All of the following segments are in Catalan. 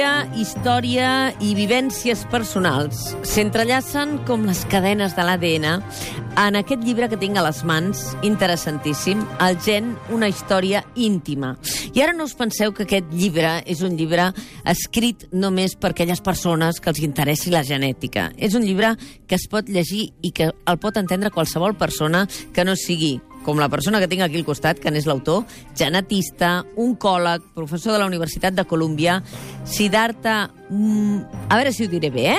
Biografia, història i vivències personals s'entrellacen com les cadenes de l'ADN en aquest llibre que tinc a les mans, interessantíssim, El gen, una història íntima. I ara no us penseu que aquest llibre és un llibre escrit només per aquelles persones que els interessi la genètica. És un llibre que es pot llegir i que el pot entendre qualsevol persona que no sigui com la persona que tinc aquí al costat, que n'és l'autor, genetista, oncòleg, professor de la Universitat de Colúmbia, Siddhartha... a veure si ho diré bé,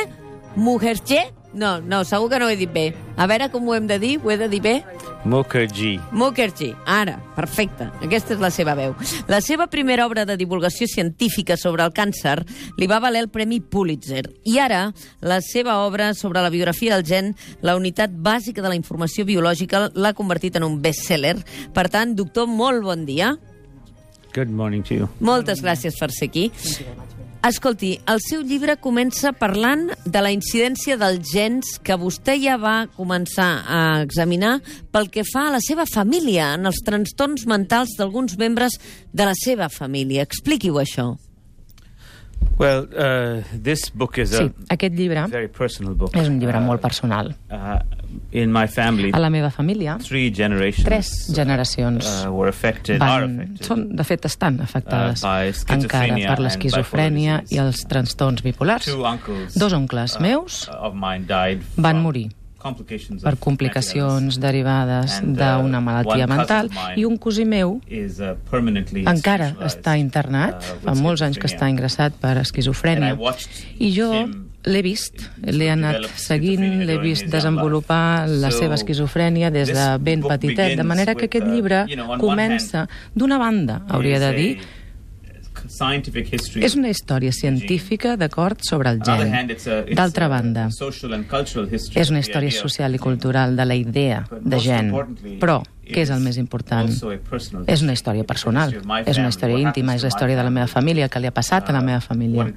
Mukherjee? No, segur que no ho he dit bé. A veure com ho hem de dir, ho he de dir bé? Mukherjee, ara, perfecte. Aquesta és la seva veu. La seva primera obra de divulgació científica sobre el càncer li va valer el Premi Pulitzer. I ara, la seva obra sobre la biografia del gen, la unitat bàsica de la informació biològica, l'ha convertit en un best-seller. Per tant, doctor, molt bon dia. Good morning to you. Moltes gràcies per ser aquí. Escolti, el seu llibre comença parlant de la incidència dels gens que vostè ja va començar a examinar pel que fa a la seva família, en els trastorns mentals d'alguns membres de la seva família. Expliqui-ho, això. Well, this book is a aquest llibre very personal book. és un llibre molt personal. In my family, A la meva família, 3 generacions were affected, are affected. de fet, estan afectades by encara schizophrenia per and l'esquizofrènia bipolar i els trastorns bipolars. 2 uncles, Dos oncles meus of mine died van from morir complications per of complicacions derivades And, d'una malaltia one cousin mental, of mine i un cosí meu is permanently encara institutionalized, està internat, fa with molts anys que està schizophrenia. ingressat per And I esquizofrènia. watched I jo him l'he vist, l'he anat develop seguint, schizophrenia l'he during vist his desenvolupar young la life. seva So, esquizofrènia des de this ben book petitet, de begins manera que with, aquest llibre on one comença, d'una banda, hauria de dir, scientific history. és una història científica d'acord sobre el gen. D'altra banda, és una història social i cultural de la idea de gen. Però, què és el més important? És una història personal, és una història íntima, és la història de la meva família, que li ha passat a la meva família.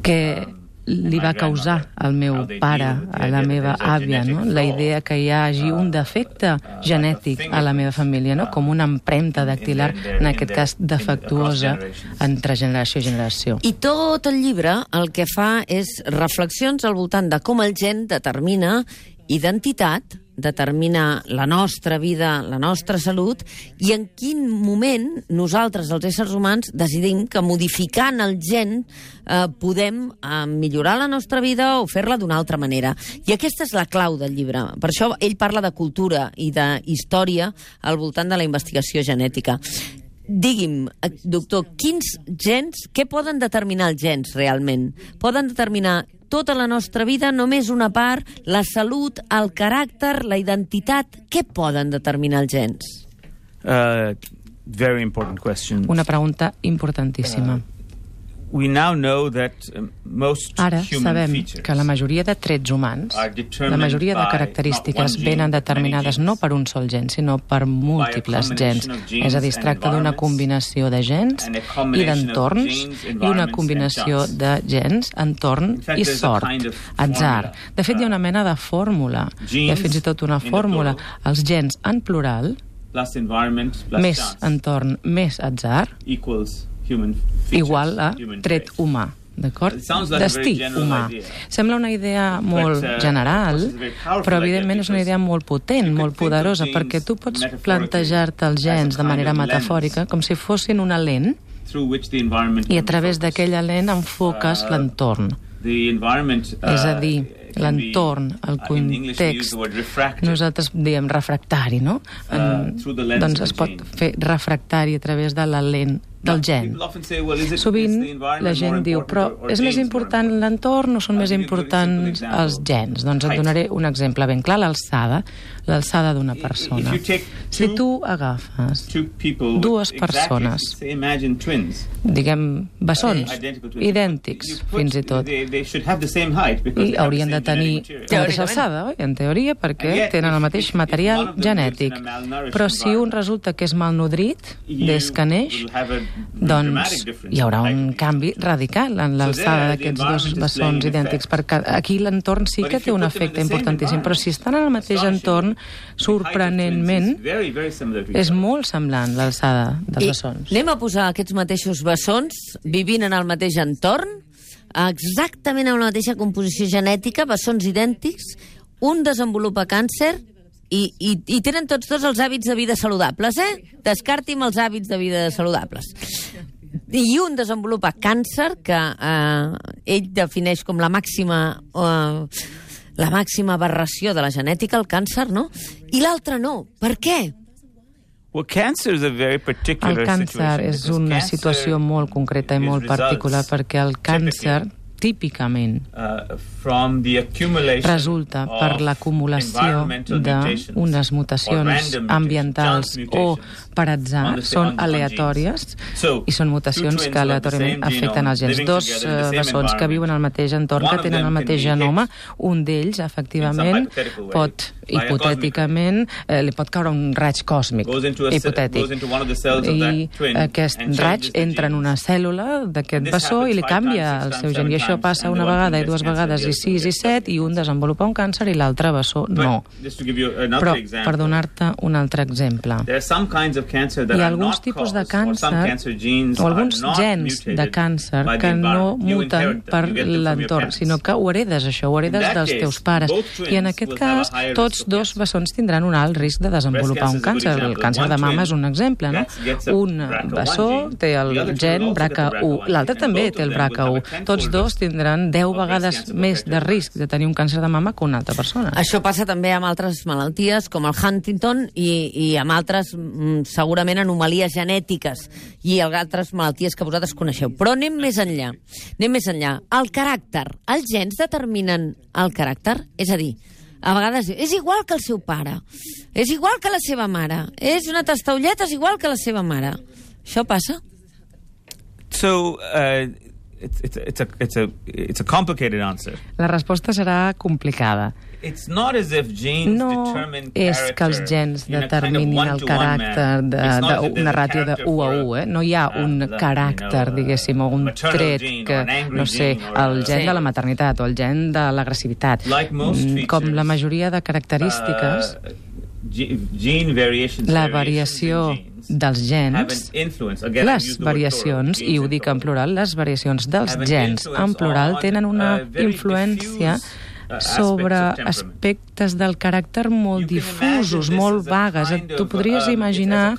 Què li va causar al meu pare, a la meva àvia, no? La idea que hi hagi un defecte genètic a la meva família, no? Com una empremta dactilar, en aquest cas defectuosa, entre generació i generació. I tot el llibre el que fa és reflexions al voltant de com el gen determina identitat, determina la nostra vida, la nostra salut, i en quin moment nosaltres, els éssers humans, decidim que modificant el gen podem millorar la nostra vida o fer-la d'una altra manera. I aquesta és la clau del llibre. Per això ell parla de cultura i de història al voltant de la investigació genètica. Digui'm, doctor, quins gens, què poden determinar els gens realment? Poden determinar tota la nostra vida, només una part, la salut, el caràcter, la identitat? Què poden determinar els gens? Very important question. Una pregunta importantíssima. We now know that most Ara human sabem features que la majoria de trets humans, la majoria de característiques venen determinades no per un sol gen, sinó per múltiples gens. És a dir, es tracta d'una combinació de gens i d'entorns i una combinació de gens, entorn i sort, atzar. De fet, hi ha una mena de fórmula, hi ha fins i tot una fórmula. Els gens en plural, més entorn, més atzar, igual a tret humà, d'acord? Destí humà. Sembla una idea molt general, però evidentment és una idea molt potent, molt poderosa, perquè tu pots plantejar-te els gens de manera metafòrica com si fossin una lent i a través d'aquella lent enfoques l'entorn. És a dir, l'entorn, el context, nosaltres diem refractari, no? Doncs es pot fer refractari a través de la lent del gen. Sovint la gent diu, però és més important l'entorn o són més importants els gens? Doncs et donaré un exemple ben clar, l'alçada d'una persona. Si tu agafes dues persones, diguem, bessons, idèntics, fins i tot, i haurien de tenir la mateixa alçada, oi? En teoria, perquè tenen el mateix material genètic. Però si un resulta que és malnodrit des que neix, doncs hi haurà un canvi radical en l'alçada d'aquests dos bessons idèntics, perquè aquí l'entorn sí que té un efecte importantíssim, però si estan en el mateix entorn, sorprenentment, és molt semblant l'alçada dels bessons. Anem a posar aquests mateixos bessons vivint en el mateix entorn, exactament amb la mateixa composició genètica, bessons idèntics, un desenvolupa càncer i tenen tots dos els hàbits de vida saludables, Descarti'm els hàbits de vida saludables. I un desenvolupa càncer, que ell defineix com la màxima aberració de la genètica, el càncer, no? I l'altre no. Per què? El càncer és una situació molt concreta i molt particular, perquè el càncer típicament resulta per l'acumulació d'unes mutacions ambientals o per atzar, són aleatòries i són mutacions que aleatòriament afecten els gens. Dos bessons que viuen al mateix entorn, que tenen el mateix genoma, un d'ells, efectivament, pot, hipotèticament, li pot caure un raig còsmic, hipotètic, i aquest raig entra en una cèl·lula d'aquest bessó i li canvia el seu gen, i això passa una vegada i dues vegades i 6 i 7, i un desenvolupa un càncer i l'altre bessó no. Però, per donar-te un altre exemple, hi ha alguns tipus de càncer o alguns gens de càncer que no muten per l'entorn, sinó que ho heredes, això, ho heredes dels teus pares. I en aquest cas, tots dos bessons tindran un alt risc de desenvolupar un càncer. El càncer de mama és un exemple, no? Un bessó té el gen BRCA1, l'altre també té el BRCA1. Tots dos tindran 10 vegades més de risc de tenir un càncer de mama que una altra persona. Això passa també amb altres malalties, com el Huntington, i amb altres, segurament, anomalies genètiques i altres malalties que vosaltres coneixeu. Però anem més enllà. El caràcter. Els gens determinen el caràcter? És a dir, a vegades és igual que el seu pare, és igual que la seva mare, és una testaulleta, és igual que la seva mare. Això passa? It's a complicated answer. La resposta serà complicada. No és que els gens determinin el caràcter d'una ràtio de 1 a 1, No hi ha un caràcter, diguéssim, o un tret que, no sé, el gen de la maternitat o el gen de l'agressivitat. Com la majoria de característiques, la variació dels gens, les variacions, i ho dic en plural, les variacions dels gens en plural tenen una influència sobre aspectes del caràcter molt difusos, molt vagues. Tu podries imaginar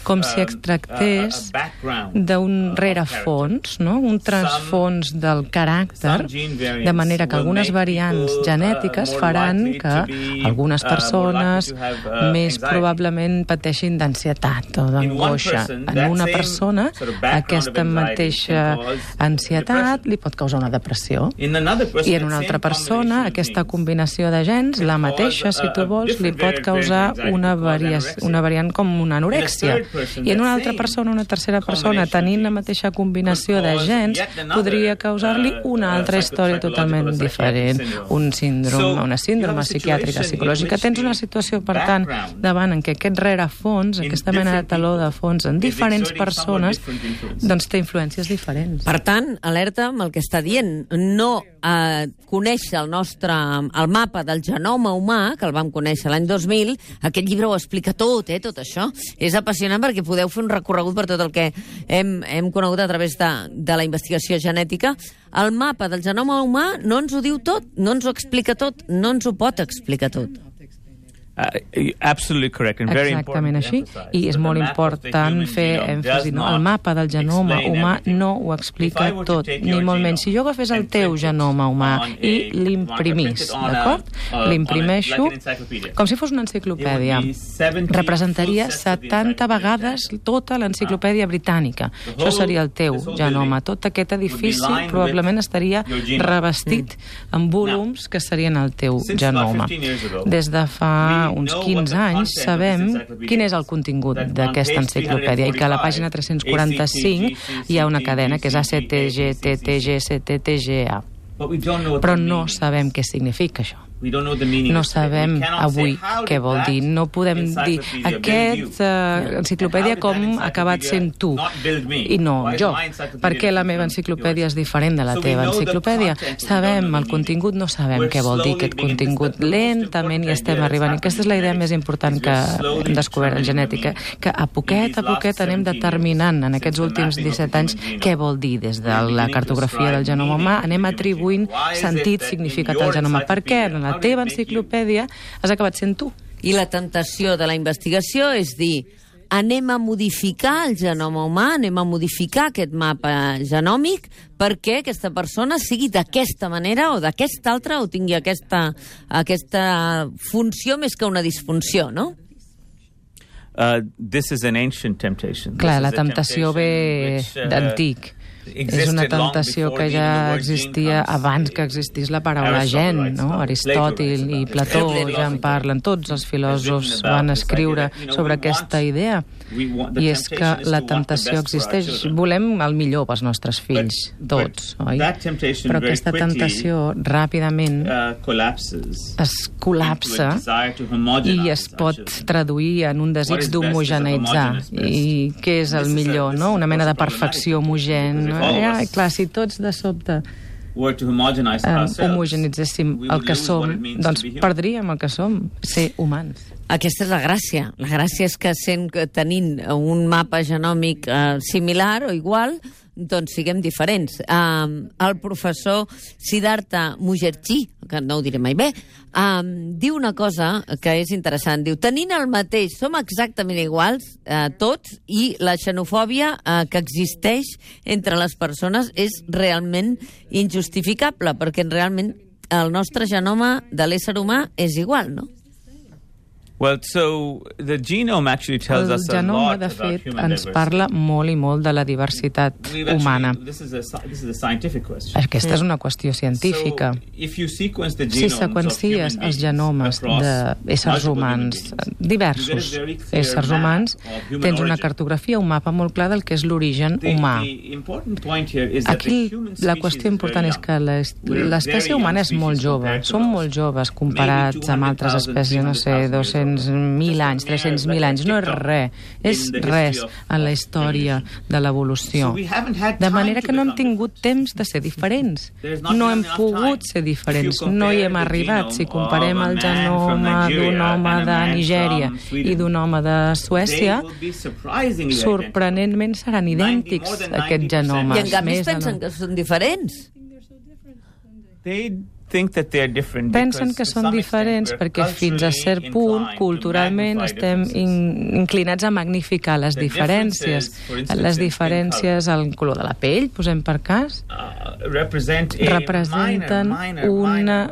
com si es tractés d'un rerefons, no? Un transfons del caràcter, de manera que algunes variants genètiques faran que algunes persones més probablement pateixin d'ansietat o d'angoixa. En una persona, aquesta mateixa ansietat li pot causar una depressió, i en una altra persona aquesta combinació de gens, la mateixa, si tu vols, li pot causar una variant com una anorèxia. I en una altra persona, una tercera persona, tenint la mateixa combinació de gens, podria causar-li una altra història totalment diferent. Una síndrome psiquiàtrica, psicològica. Tens una situació, per tant, davant en què aquest rerefons, aquesta mena de taló de fons en diferents persones, doncs té influències diferents. Per tant, alerta amb el que està dient. No conèixer el mapa del genoma humà, que el vam conèixer l'any 2000, aquest llibre ho explica tot, tot això. És apassionant perquè podeu fer un recorregut per tot el que hem conegut a través de la investigació genètica. El mapa del genoma humà no ens ho diu tot, no ens ho explica tot, no ens ho pot explicar tot. Exactament així, i és molt important fer èmfasi. El mapa del genoma humà no ho explica tot, ni molt menys. Si jo agafés el teu genoma humà i l'imprimís, d'acord? L'imprimeixo com si fos una enciclopèdia. Representaria 70 vegades tota l'enciclopèdia britànica. Això seria el teu genoma. Tot aquest edifici probablement estaria revestit amb volums que serien el teu genoma. Des de fa uns 15 anys sabem quin és el contingut d'aquesta enciclopèdia, i que a la pàgina 345 hi ha una cadena que és ACTG, TTG, CTTGA. Però no sabem què significa això. No sabem avui què vol dir. No podem dir aquesta enciclopèdia com ha acabat sent tu i no jo. Per què la meva enciclopèdia és diferent de la teva enciclopèdia? Sabem el contingut, no sabem què vol dir aquest contingut. Lentament hi estem arribant. I aquesta és la idea més important que hem descobert en genètica, que a poquet anem determinant en aquests últims 17 anys què vol dir des de la cartografia del genoma humà, anem atribuint sentit, significat al genoma. Per què? En la teva enciclopèdia has acabat sent tu. I la temptació de la investigació és dir, anem a modificar el genoma humà, anem a modificar aquest mapa genòmic perquè aquesta persona sigui d'aquesta manera o d'aquesta altra o tingui aquesta funció més que una disfunció, no? Clar, la temptació ve d'antic. És una temptació que ja existia abans que existís la paraula gen, no? Aristòtil i Plató ja en parlen, tots els filòsofs van escriure sobre aquesta idea. I és que la temptació existeix. Volem el millor pels nostres fills, tots, oi? Però aquesta temptació ràpidament es col·lapsa i es pot traduir en un desig d'homogeneitzar. I què és el millor, no? Una mena de perfecció homogènia. Clar, si tots de sobte homogenitzéssim el que som, doncs perdríem el que som, ser humans. Aquesta és la gràcia. La gràcia és que tenint un mapa genòmic similar o igual, doncs siguem diferents. El professor Siddhartha Mukherjee, que no ho diré mai bé, diu una cosa que és interessant. Diu, tenint el mateix, som exactament iguals, tots, i la xenofòbia que existeix entre les persones és realment injustificable, perquè realment el nostre genoma de l'ésser humà és igual, no? El genoma, de fet, ens parla molt i molt de la diversitat humana. Aquesta és una qüestió científica. Si seqüencies els genomes d'éssers humans, diversos éssers humans, tens una cartografia, un mapa molt clar del que és l'origen humà. Aquí la qüestió important és que l'espècie humana és molt jove. Som molt joves comparats amb altres espècies, no sé, 200.000 anys, 300.000 anys, no és res, és res en la història de l'evolució. De manera que no hem tingut temps de ser diferents. No hem pogut ser diferents, no hi hem arribat. Si comparem el genoma d'un home de Nigèria i d'un home de Suècia, sorprenentment seran idèntics aquests genomes. I en canvi pensen que són diferents. Pensen que són diferents perquè fins a cert punt, culturalment, estem inclinats a magnificar les diferències. Les diferències al color de la pell, posem per cas, representen una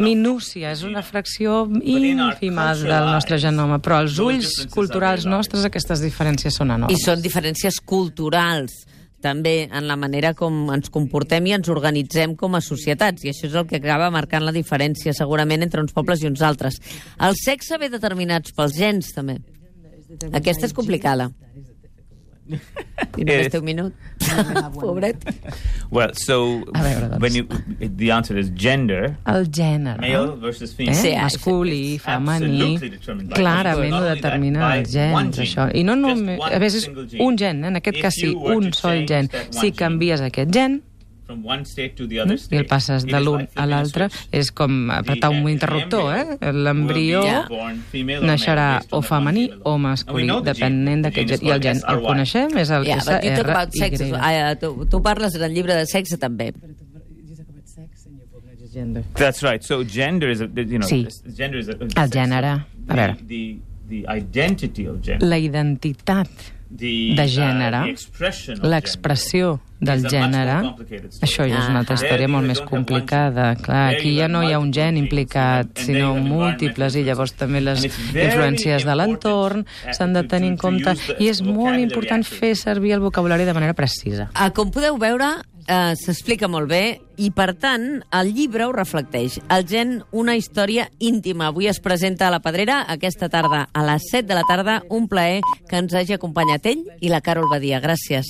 minúcia, és una fracció ínfima del nostre genoma, però als ulls culturals nostres aquestes diferències són enormes. I són diferències culturals, també en la manera com ens comportem i ens organitzem com a societats, i això és el que acaba marcant la diferència segurament entre uns pobles i uns altres. El sexe ve determinats pels gens, també. Aquesta és complicada. I només té un minut. Pobret. Well, so the answer is gender. El gènere. Male versus female. Masculí, femení. Clarament ho determina els gens, això. I no només, a vegades és un gen, en aquest cas sí, un sol gen. Si canvies aquest gen, i el passes de l'un a l'altre, és com apretar un interruptor, L'embrió naixerà o femení o masculí, depenent d'aquest gen. I el gen el coneixem, és el SRY. Tu parles en el llibre de sexe, també. That's right. So gender is, sí, el gènere. A veure, la identitat de gènere, l'expressió del gènere, això ja és una altra història molt més complicada. Clar, aquí ja no hi ha un gen implicat, sinó múltiples, i llavors també les influències de l'entorn s'han de tenir en compte, i és molt important fer servir el vocabulari de manera precisa. Com podeu veure, s'explica molt bé, i per tant el llibre ho reflecteix. El gen, una història íntima. Avui es presenta a la Pedrera aquesta tarda a les 7 de la tarda. Un plaer que ens hagi acompanyat ell i la Carol Badia. Gràcies.